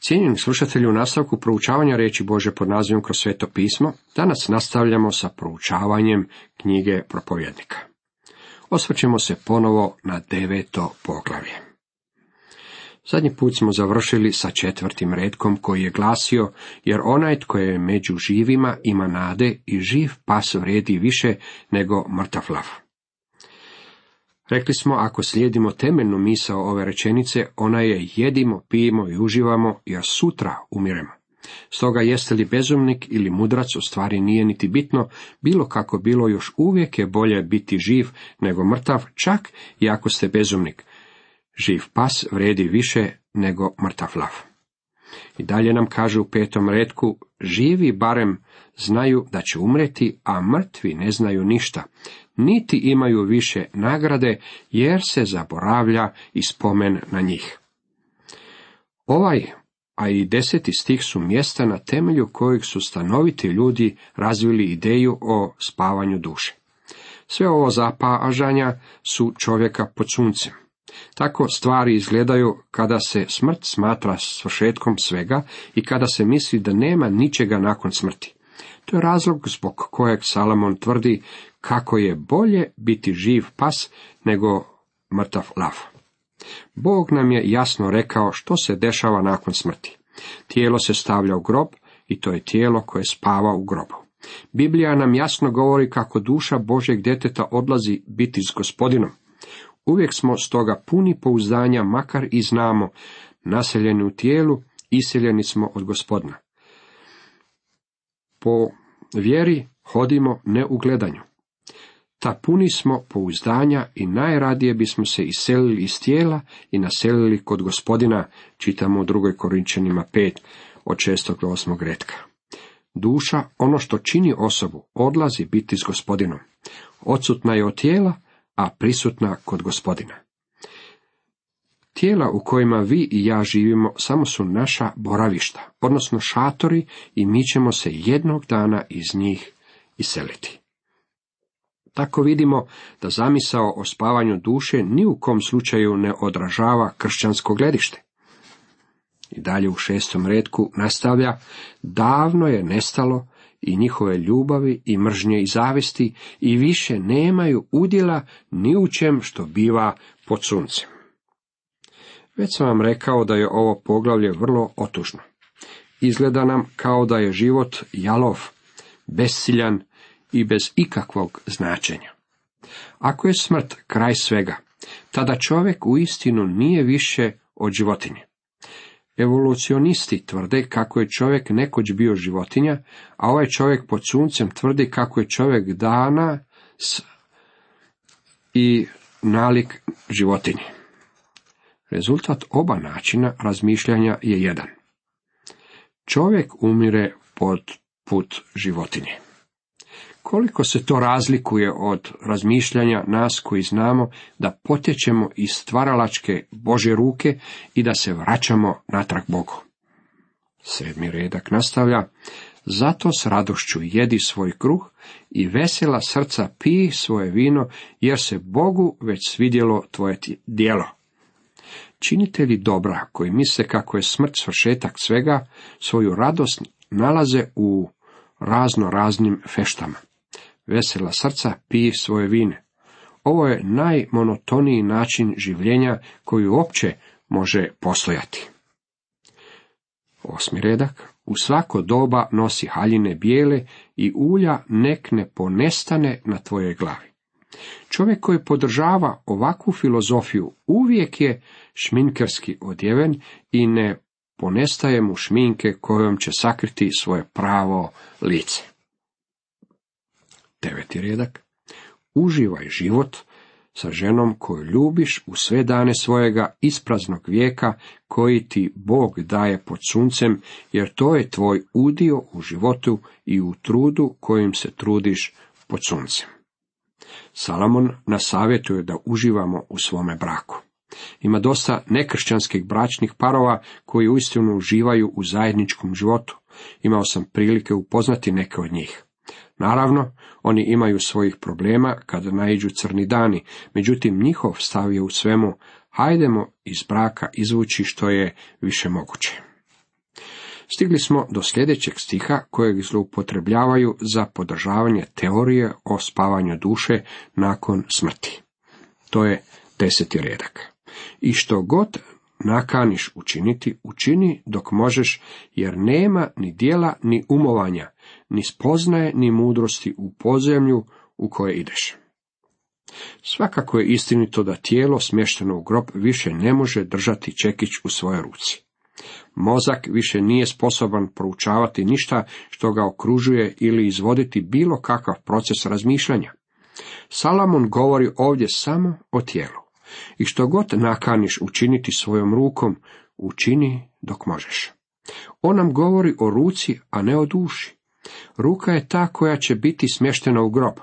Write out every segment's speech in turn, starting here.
Cijenjeni slušatelji, u nastavku proučavanja riječi Božje pod nazivom Kroz sveto pismo, danas nastavljamo sa proučavanjem knjige Propovjednika. Osvrćemo se ponovo na 9. poglavlje. Zadnji put smo završili sa 4. retkom koji je glasio: jer onaj tko je među živima ima nade i živ pas vrijedi više nego mrtav lav. Rekli smo, ako slijedimo temeljnu misao ove rečenice, ona je jedimo, pijemo i uživamo, jer sutra umiremo. Stoga jeste li bezumnik ili mudrac, u stvari nije niti bitno, bilo kako bilo, još uvijek je bolje biti živ nego mrtav, čak i ako ste bezumnik. Živ pas vrijedi više nego mrtav lav. I dalje nam kaže u 5. retku: živi barem znaju da će umreti, a mrtvi ne znaju ništa, niti imaju više nagrade, jer se zaboravlja i spomen na njih. Ovaj, a i 10. stih su mjesta na temelju kojeg su stanoviti ljudi razvili ideju o spavanju duše. Sve ovo zapažanja su čovjeka pod suncem. Tako stvari izgledaju kada se smrt smatra svršetkom svega i kada se misli da nema ničega nakon smrti. To je razlog zbog kojeg Salomon tvrdi kako je bolje biti živ pas nego mrtav lav. Bog nam je jasno rekao što se dešava nakon smrti. Tijelo se stavlja u grob i to je tijelo koje spava u grobu. Biblija nam jasno govori kako duša Božjeg djeteta odlazi biti s Gospodinom. Uvijek smo stoga puni pouzdanja, makar i znamo, naseljeni u tijelu, iseljeni smo od Gospodina. Po vjeri hodimo ne u gledanju. Ta puni smo pouzdanja i najradije bismo se iselili iz tijela i naselili kod Gospodina, čitamo u 2. Korinčanima 5, od 6. do 8. retka. Duša, ono što čini osobu, odlazi biti s Gospodinom. Odsutna je od tijela, a prisutna kod Gospodina. Tijela u kojima vi i ja živimo samo su naša boravišta, odnosno šatori, i mi ćemo se jednog dana iz njih iseliti. Tako vidimo da zamisao o spavanju duše ni u kom slučaju ne odražava kršćansko gledište. I dalje u 6. retku nastavlja: davno je nestalo i njihove ljubavi i mržnje i zavisti i više nemaju udjela ni u čem što biva pod suncem. Već sam vam rekao da je ovo poglavlje vrlo otužno. Izgleda nam kao da je život jalov, besciljan i bez ikakvog značenja. Ako je smrt kraj svega, tada čovjek uistinu nije više od životinje. Evolucionisti tvrde kako je čovjek nekoć bio životinja, a ovaj čovjek pod suncem tvrdi kako je čovjek danas i nalik životinji. Rezultat oba načina razmišljanja je jedan. Čovjek umire pod put životinje. Koliko se to razlikuje od razmišljanja nas koji znamo da potječemo iz stvaralačke Božje ruke i da se vraćamo natrag Bogu. 7. redak nastavlja: zato s radošću jedi svoj kruh i vesela srca pij svoje vino, jer se Bogu već svidjelo tvoje djelo. Činitelji dobra koji misle kako je smrt svršetak svega, svoju radost nalaze u raznim feštama. Vesela srca pij svoje vine. Ovo je najmonotoniji način življenja koji uopće može postojati. 8. redak: u svako doba nosi haljine bijele i ulja nek ne ponestane na tvojoj glavi. Čovjek koji podržava ovakvu filozofiju uvijek je šminkerski odjeven i ne ponestaje mu šminke kojom će sakriti svoje pravo lice. 9. redak: uživaj život sa ženom koju ljubiš u sve dane svojega ispraznog vijeka koji ti Bog daje pod suncem, jer to je tvoj udio u životu i u trudu kojim se trudiš pod suncem. Salomon nas savjetuje da uživamo u svome braku. Ima dosta nekršćanskih bračnih parova koji uistinu uživaju u zajedničkom životu. Imao sam prilike upoznati neke od njih. Naravno, oni imaju svojih problema kada naiđu crni dani, međutim njihov stav je u svemu: hajdemo iz braka izvući što je više moguće. Stigli smo do sljedećeg stiha kojeg zloupotrebljavaju za podržavanje teorije o spavanju duše nakon smrti. To je 10. redak. I što god nakaniš učiniti, učini dok možeš, jer nema ni djela, ni umovanja, ni spoznaje, ni mudrosti u podzemlju u koje ideš. Svakako je istinito da tijelo smješteno u grob više ne može držati čekić u svojoj ruci. Mozak više nije sposoban proučavati ništa što ga okružuje ili izvoditi bilo kakav proces razmišljanja. Salomon govori ovdje samo o tijelu. I što god nakaniš učiniti svojom rukom, učini dok možeš. On nam govori o ruci, a ne o duši. Ruka je ta koja će biti smještena u grob.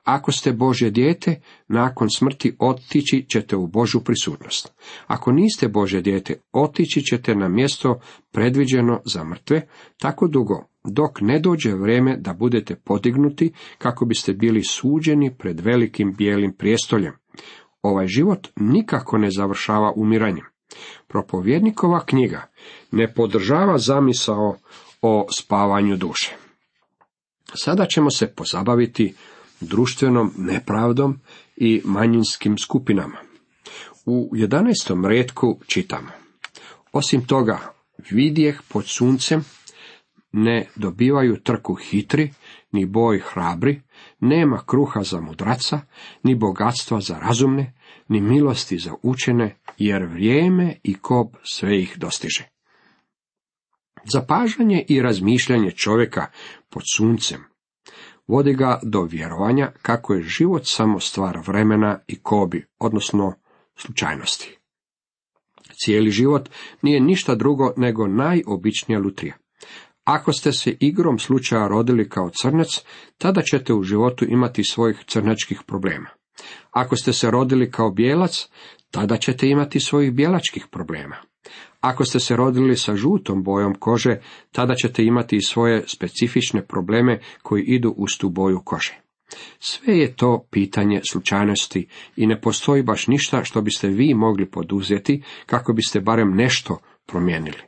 Ako ste Božje dijete, nakon smrti otići ćete u Božju prisutnost. Ako niste Božje dijete, otići ćete na mjesto predviđeno za mrtve, tako dugo, dok ne dođe vrijeme da budete podignuti, kako biste bili suđeni pred velikim bijelim prijestoljem. Ovaj život nikako ne završava umiranjem. Propovjednikova knjiga ne podržava zamisao o spavanju duše. Sada ćemo se pozabaviti društvenom nepravdom i manjinskim skupinama. U 11. retku čitamo: Osim toga, vidjeh pod suncem, ne dobivaju trku hitri, ni boj hrabri, nema kruha za mudraca, ni bogatstva za razumne, ni milosti za učene, jer vrijeme i kob sve ih dostiže. Zapažanje i razmišljanje čovjeka pod suncem vodi ga do vjerovanja kako je život samo stvar vremena i kobi, odnosno slučajnosti. Cijeli život nije ništa drugo nego najobičnija lutrija. Ako ste se igrom slučaja rodili kao crnac, tada ćete u životu imati svojih crnačkih problema. Ako ste se rodili kao bijelac, tada ćete imati svojih bijelačkih problema. Ako ste se rodili sa žutom bojom kože, tada ćete imati i svoje specifične probleme koji idu uz tu boju kože. Sve je to pitanje slučajnosti i ne postoji baš ništa što biste vi mogli poduzeti kako biste barem nešto promijenili.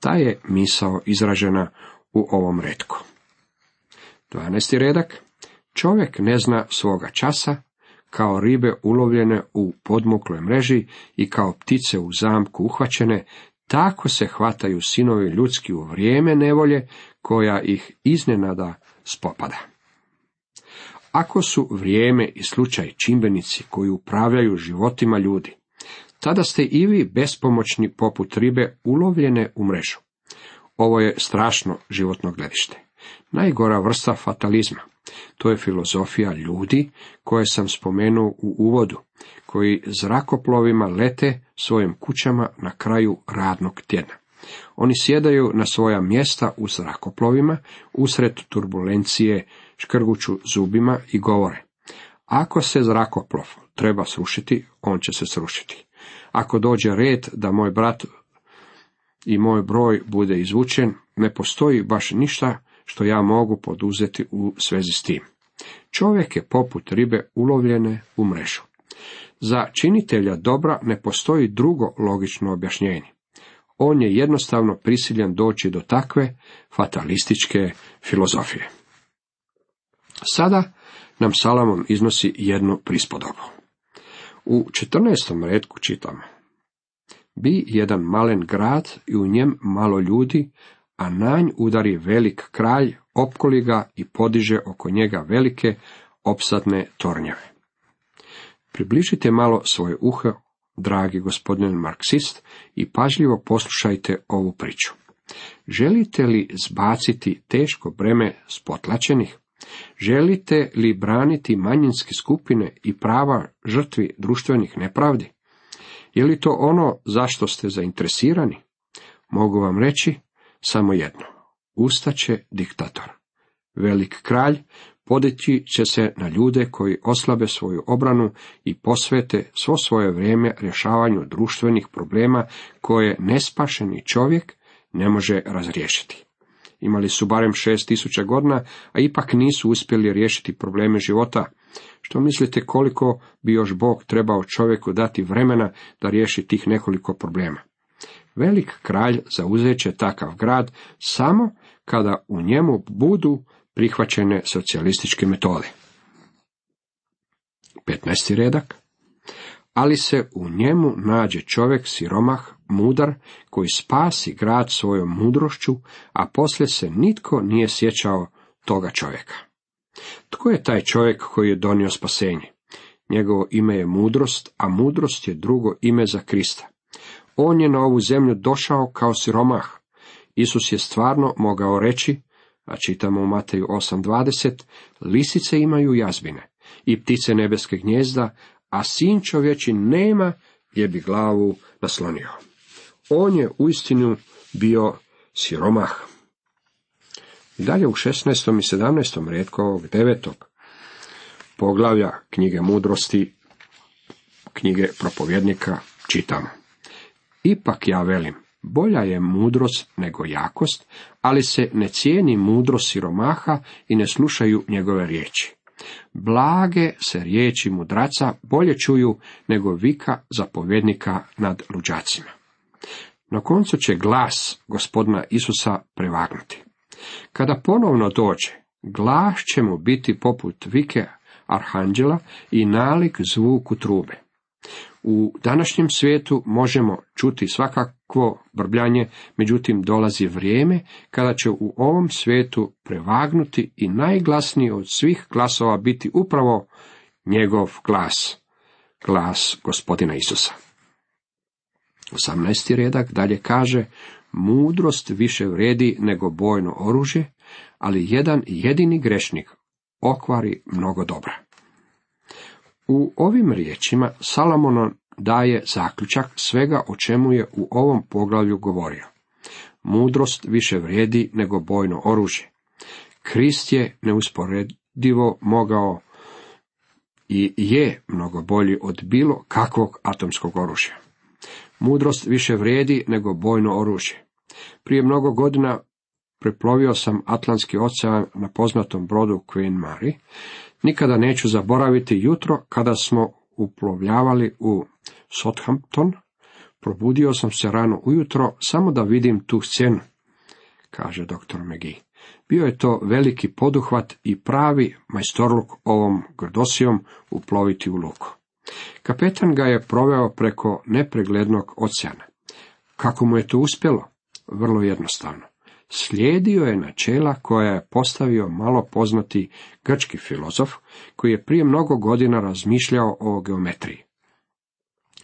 Ta je misao izražena u ovom retku. 12. redak. Čovjek ne zna svoga časa, kao ribe ulovljene u podmukloj mreži i kao ptice u zamku uhvaćene, tako se hvataju sinovi ljudski u vrijeme nevolje koja ih iznenada spopada. Ako su vrijeme i slučaj čimbenici koji upravljaju životima ljudi, tada ste i vi bespomoćni poput ribe ulovljene u mrežu. Ovo je strašno životno gledište. Najgora vrsta fatalizma. To je filozofija ljudi koje sam spomenuo u uvodu, koji zrakoplovima lete svojim kućama na kraju radnog tjedna. Oni sjedaju na svoja mjesta u zrakoplovima, usred turbulencije, škrguću zubima i govore: ako se zrakoplov treba srušiti, on će se srušiti. Ako dođe red da moj brat i moj broj bude izvučen, ne postoji baš ništa što ja mogu poduzeti u svezi s tim. Čovjek je poput ribe ulovljene u mrežu. Za činitelja dobra ne postoji drugo logično objašnjenje. On je jednostavno prisiljen doći do takve fatalističke filozofije. Sada nam Salomon iznosi jednu prispodobu. U 14. retku čitamo: Bi jedan malen grad i u njem malo ljudi, a na nj udari velik kralj, opkoli ga i podiže oko njega velike opsadne tornjeve. Približite malo svoje uho, dragi gospodin marksist, i pažljivo poslušajte ovu priču. Želite li zbaciti teško breme s potlačenih? Želite li braniti manjinske skupine i prava žrtvi društvenih nepravdi? Je li to ono zašto ste zainteresirani? Mogu vam reći samo jedno: ustaće diktator. Velik kralj podići će se na ljude koji oslabe svoju obranu i posvete svo svoje vrijeme rješavanju društvenih problema koje nespašeni čovjek ne može razriješiti. Imali su barem 6000 godina, a ipak nisu uspjeli riješiti probleme života. Što mislite koliko bi još Bog trebao čovjeku dati vremena da riješi tih nekoliko problema? Velik kralj zauzet će takav grad samo kada u njemu budu prihvaćene socijalističke metode. 15. redak. Ali se u njemu nađe čovjek siromah, mudar, koji spasi grad svojom mudrošću, a poslije se nitko nije sjećao toga čovjeka. Tko je taj čovjek koji je donio spasenje? Njegovo ime je mudrost, a mudrost je drugo ime za Krista. On je na ovu zemlju došao kao siromah. Isus je stvarno mogao reći, a čitamo u Mateju 8:20, lisice imaju jazbine i ptice nebeske gnijezda, a sin čovječi nema gdje bi glavu naslonio. On je uistinu bio siromah. I dalje u 16. i 17. retku ovog 9. poglavlja knjige mudrosti, knjige propovjednika čitamo. Ipak ja velim, bolja je mudrost nego jakost, ali se ne cijeni mudrost siromaha i ne slušaju njegove riječi. Blage se riječi mudraca bolje čuju nego vika zapovjednika nad luđacima. Na koncu će glas Gospodina Isusa prevagnuti. Kada ponovno dođe, glas će mu biti poput vike arhanđela i nalik zvuku trube. U današnjem svijetu možemo čuti svakakvo brbljanje, međutim dolazi vrijeme kada će u ovom svijetu prevagnuti i najglasniji od svih glasova biti upravo njegov glas, glas Gospodina Isusa. 18. redak dalje kaže, mudrost više vrijedi nego bojno oružje, ali jedan jedini grešnik okvari mnogo dobra. U ovim riječima Salomon daje zaključak svega o čemu je u ovom poglavlju govorio. Mudrost više vrijedi nego bojno oružje. Krist je neusporedivo mogao i je mnogo bolji od bilo kakvog atomskog oružja. Mudrost više vrijedi nego bojno oružje. Prije mnogo godina preplovio sam Atlantski ocean na poznatom brodu Queen Mary. Nikada neću zaboraviti jutro kada smo uplovljavali u Southampton. Probudio sam se rano ujutro samo da vidim tu scenu, kaže dr. McGee. Bio je to veliki poduhvat i pravi majstorluk ovom grdosijom uploviti u luku. Kapetan ga je proveo preko nepreglednog oceana. Kako mu je to uspjelo? Vrlo jednostavno. Slijedio je načela koja je postavio malo poznati grčki filozof, koji je prije mnogo godina razmišljao o geometriji.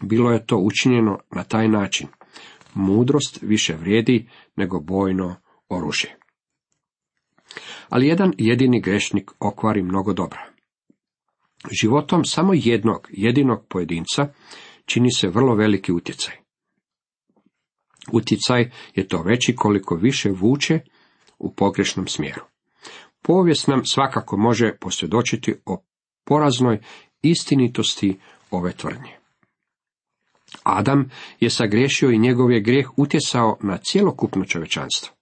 Bilo je to učinjeno na taj način. Mudrost više vrijedi nego bojno oružje. Ali jedan jedini grešnik okvari mnogo dobra. Životom samo jednog jedinog pojedinca čini se vrlo veliki utjecaj. Utjecaj je to veći koliko više vuče u pogrešnom smjeru. Povijest nam svakako može posvjedočiti o poraznoj istinitosti ove tvrdnje. Adam je sagriješio i njegov je grijeh utjecao na cjelokupno čovječanstvo.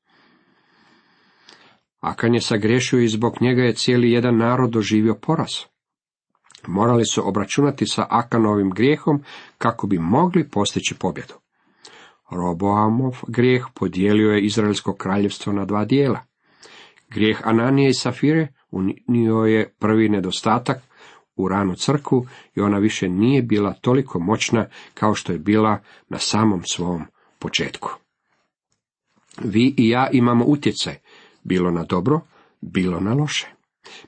Akan je sagriješio i zbog njega je cijeli jedan narod doživio poraz. Morali su obračunati sa Akanovim grijehom kako bi mogli postići pobjedu. Roboamov grijeh podijelio je Izraelsko kraljevstvo na dva dijela. Grijeh Ananije i Safire unio je prvi nedostatak u ranu crkvu i ona više nije bila toliko moćna kao što je bila na samom svom početku. Vi i ja imamo utjecaj, bilo na dobro, bilo na loše.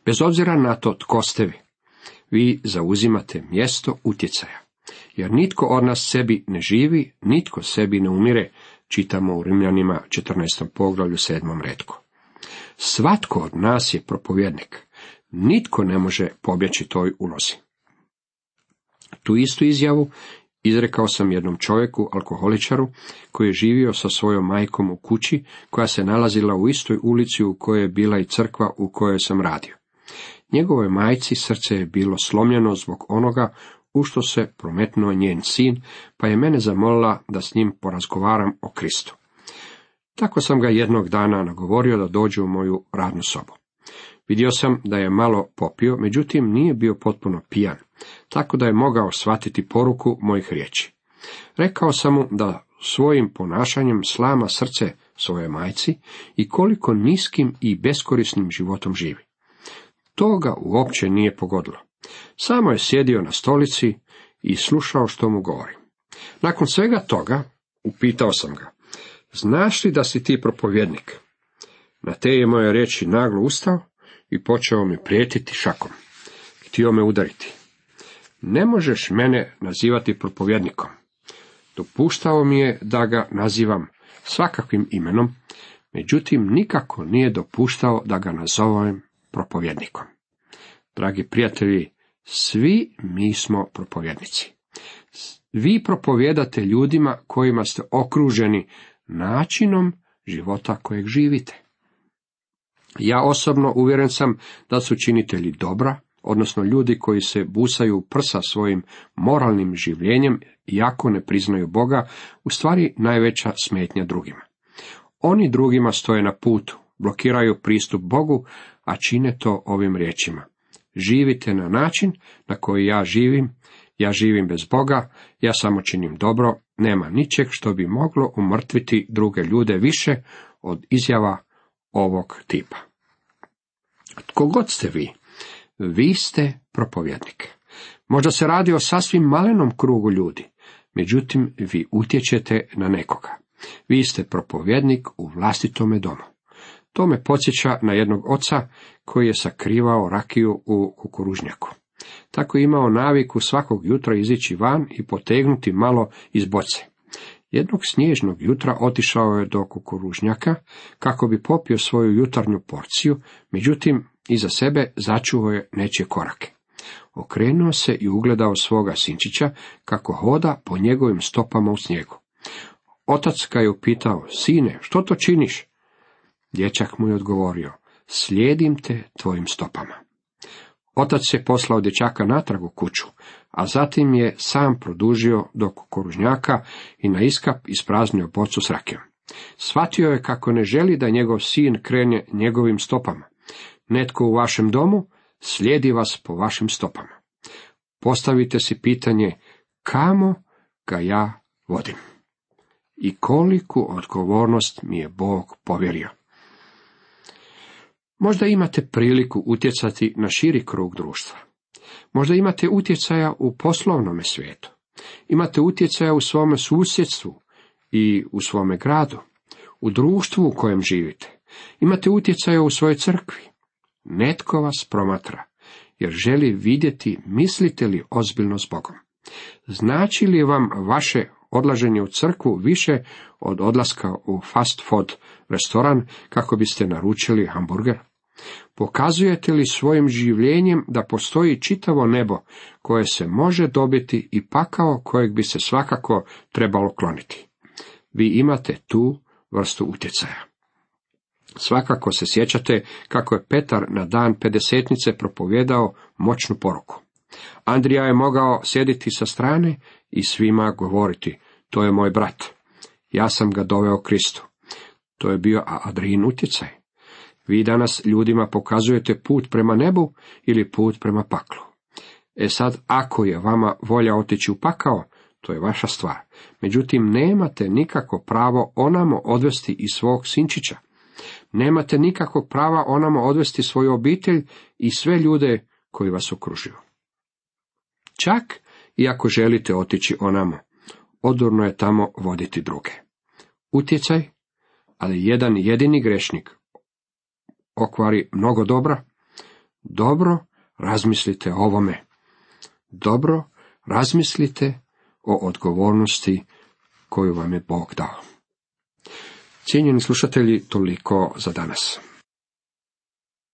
Bez obzira na to tko ste vi, vi zauzimate mjesto utjecaja. Jer nitko od nas sebi ne živi, nitko sebi ne umire, čitamo u Rimljanima 14. poglavlju 7. retku. Svatko od nas je propovjednik. Nitko ne može pobjeći toj ulozi. Tu istu izjavu izrekao sam jednom čovjeku, alkoholičaru, koji je živio sa svojom majkom u kući, koja se nalazila u istoj ulici u kojoj je bila i crkva u kojoj sam radio. Njegovoj majci srce je bilo slomljeno zbog onoga u što se prometnuo njen sin, pa je mene zamolila da s njim porazgovaram o Kristu. Tako sam ga jednog dana nagovorio da dođe u moju radnu sobu. Vidio sam da je malo popio, međutim nije bio potpuno pijan, tako da je mogao shvatiti poruku mojih riječi. Rekao sam mu da svojim ponašanjem slama srce svoje majci i koliko niskim i beskorisnim životom živi. To ga uopće nije pogodilo. Samo je sjedio na stolici i slušao što mu govori. Nakon svega toga upitao sam ga: znaš li da si ti propovjednik? Na te je moje riječi naglo ustao i počeo mi prijetiti šakom. Htio me udariti. Ne možeš mene nazivati propovjednikom. Dopuštao mi je da ga nazivam svakakvim imenom, međutim nikako nije dopuštao da ga nazovem propovjednikom. Dragi prijatelji, svi mi smo propovjednici. Vi propovijedate ljudima kojima ste okruženi načinom života kojeg živite. Ja osobno uvjeren sam da su činitelji dobra, odnosno ljudi koji se busaju u prsa svojim moralnim življenjem, iako ne priznaju Boga, u stvari najveća smetnja drugima. Oni drugima stoje na putu, blokiraju pristup Bogu, a čine to ovim riječima: živite na način na koji ja živim bez Boga, ja samo činim dobro, nema ničeg što bi moglo umrtviti druge ljude više od izjava ovog tipa. Tko god ste vi ste propovjednik. Možda se radi o sasvim malenom krugu ljudi, međutim vi utječete na nekoga. Vi ste propovjednik u vlastitome domu. To me podsjeća na jednog oca koji je sakrivao rakiju u kukuružnjaku. Tako je imao naviku svakog jutra izići van i potegnuti malo iz boce. Jednog snježnog jutra otišao je do kukuružnjaka kako bi popio svoju jutarnju porciju, međutim iza sebe začuo je nečije korake. Okrenuo se i ugledao svoga sinčića kako hoda po njegovim stopama u snijegu. Otac ga je upitao: sine, što to činiš? Dječak mu je odgovorio: slijedim te tvojim stopama. Otac je poslao dječaka natrag u kuću, a zatim je sam produžio do kukuružnjaka i na iskap ispraznio bocu s rakijom. Shvatio je kako ne želi da njegov sin krene njegovim stopama. Netko u vašem domu slijedi vas po vašim stopama. Postavite si pitanje: kamo ga ja vodim? I koliku odgovornost mi je Bog povjerio. Možda imate priliku utjecati na širi krug društva. Možda imate utjecaja u poslovnome svijetu. Imate utjecaja u svome susjedstvu i u svome gradu, u društvu u kojem živite. Imate utjecaja u svojoj crkvi. Netko vas promatra, jer želi vidjeti mislite li ozbiljno s Bogom. Znači li vam vaše odlaženje u crkvu više od odlaska u fast food restoran kako biste naručili hamburger? Pokazujete li svojim življenjem da postoji čitavo nebo koje se može dobiti i pakao kojeg bi se svakako trebalo kloniti? Vi imate tu vrstu utjecaja. Svakako se sjećate kako je Petar na dan pedesetnice propovijedao moćnu poruku. Andrija je mogao sjediti sa strane i svima govoriti: to je moj brat, ja sam ga doveo Kristu. To je bio Andrijin utjecaj. Vi danas ljudima pokazujete put prema nebu ili put prema paklu. Sad, ako je vama volja otići u pakao, to je vaša stvar. Međutim, nemate nikako pravo onamo odvesti i svog sinčića. Nemate nikakvog prava onamo odvesti svoju obitelj i sve ljude koji vas okružuju. Čak i ako želite otići onamo, odurno je tamo voditi druge. Utjecaj, ali jedan jedini grešnik okvari mnogo dobra. Dobro razmislite o ovome. Dobro razmislite o odgovornosti koju vam je Bog dao. Cijenjeni slušatelji, toliko za danas.